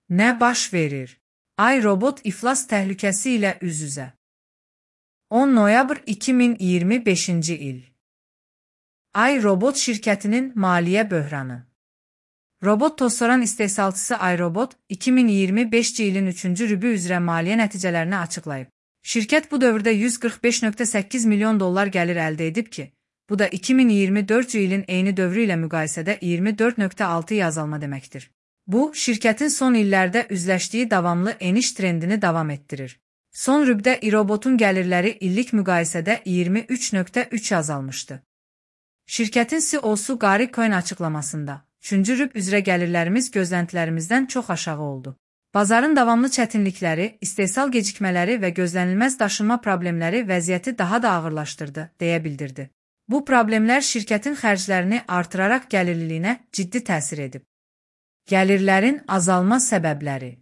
Ne baş verir? iRobot iflas təhlükəsi ilə üz-üzə. 10 noyabr 2025 il. iRobot şirkətinin maliyyə böhranı. Robot tozsoran istehsalçısı iRobot, 2025 ilin 3-cü rübü üzrə maliyyə nəticələrini açıqlayıb. Şirkət bu dövrdə $145,8 milyon gəlir əldə edib ki, bu da 2024 ilin eyni dövrü ilə müqayisədə 24,6 azalma deməkdir. Bu, şirkətin son illərdə üzləşdiyi davamlı eniş trendini davam etdirir. Son rübdə iRobotun gəlirləri illik müqayisədə 23,3 azalmışdı. Şirkətin CEO-su Gary Cohn açıqlamasında, 3-cü rüb üzrə gəlirlərimiz gözləntilərimizdən çox aşağı oldu. Bazarın davamlı çətinlikləri, istehsal gecikmələri və gözlənilməz daşınma problemləri vəziyyəti daha da ağırlaşdırdı, deyə bildirdi. Bu problemlər şirkətin xərclərini artıraraq gəlirliliyinə ciddi təsir edib. Gəlirlərin azalma səbəbləri.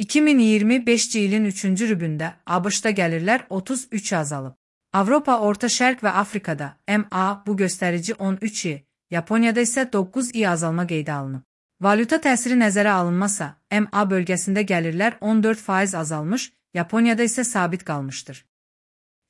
2025 ilin 3-cü rübündə ABŞ-da gəlirlər 33 azalıb. Avropa, Orta Şərq və Afrikada MA bu göstərici 13, Yaponiyada isə 9 azalma qeydə alınıb. Valyuta təsiri nəzərə alınmasa, MA bölgəsində gəlirlər 14% azalmış, Yaponiyada isə sabit qalmışdır.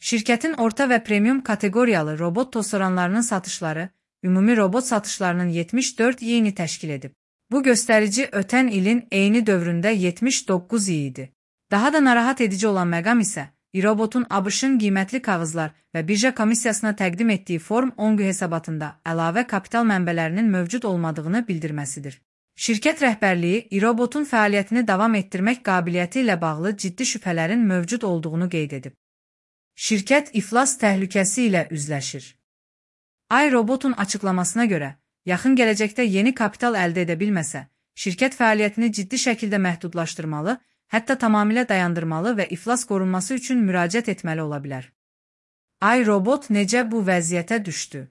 Şirkətin orta və premium kateqoriyalı robot tozsoranlarının satışları, ümumi robot satışlarının 74%-ni təşkil edib. Bu göstərici ötən ilin eyni dövründə 79 idi. Daha da narahat edici olan məqam isə, iRobotun ABŞ-ın qiymətli kağızlar və birja komissiyasına təqdim etdiyi Form 10 hesabatında əlavə kapital mənbələrinin mövcud olmadığını bildirməsidir. Şirkət rəhbərliyi iRobotun fəaliyyətini davam etdirmək qabiliyyəti ilə bağlı ciddi şübhələrin mövcud olduğunu qeyd edib. Şirkət iflas təhlükəsi ilə üzləşir. iRobotun açıqlamasına görə, yaxın gələcəkdə yeni kapital əldə edə bilməsə, şirkət fəaliyyətini ciddi şəkildə məhdudlaşdırmalı, hətta tamamilə dayandırmalı və iflas qorunması üçün müraciət etməli ola bilər. iRobot necə bu vəziyyətə düşdü?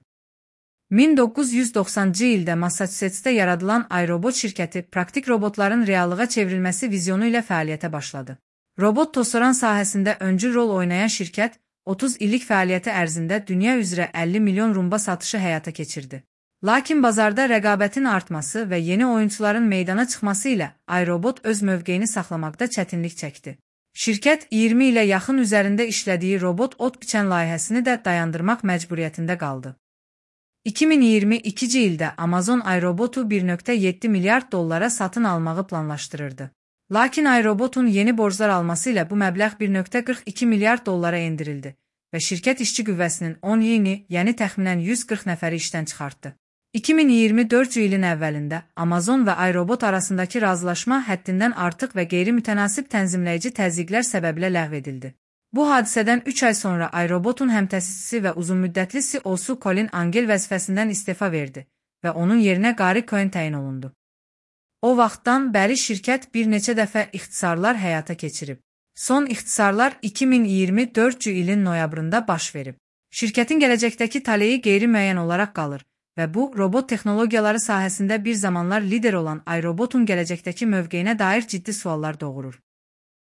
1990-cı ildə Massachusettsdə yaradılan iRobot şirkəti praktik robotların reallığa çevrilməsi vizyonu ilə fəaliyyətə başladı. Robot tozsoran sahəsində öncül rol oynayan şirkət, 30 illik fəaliyyəti ərzində dünya üzrə 50 milyon rumba satışı həyata keçirdi. Lakin bazarda rəqabətin artması və yeni oyunçuların meydana çıxması ilə iRobot öz mövqeyini saxlamaqda çətinlik çəkdi. Şirkət 20 ilə yaxın üzərində işlədiyi robot ot biçən layihəsini də dayandırmaq məcburiyyətində qaldı. 2022-ci ildə Amazon iRobot'u $1,7 milyard satın almağı planlaşdırırdı. Lakin iRobot'un yeni borclar alması ilə bu məbləğ $1,42 milyard endirildi və şirkət işçi qüvvəsinin 10%-ni, yəni təxminən 140 nəfəri işdən çıxartdı. 2024 ilin əvvəlində Amazon və iRobot arasındakı razılaşma həddindən artıq və qeyri-mütənasib tənzimləyici təzyiqlər səbəbilə ləğv edildi. Bu hadisədən 3 ay sonra iRobotun həmtəsisçisi və uzunmüddətli CEO-su Colin Angle vəzifəsindən istefa verdi və onun yerinə Gary Cohn təyin olundu. O vaxtdan bəri şirkət bir neçə dəfə ixtisarlar həyata keçirib. Son ixtisarlar 2024 ilin noyabrında baş verib. Şirkətin gələcəkdəki taleyi qeyri-müəyyən olaraq qalır və bu, robot texnologiyaları sahəsində bir zamanlar lider olan iRobotun gələcəkdəki mövqeyinə dair ciddi suallar doğurur.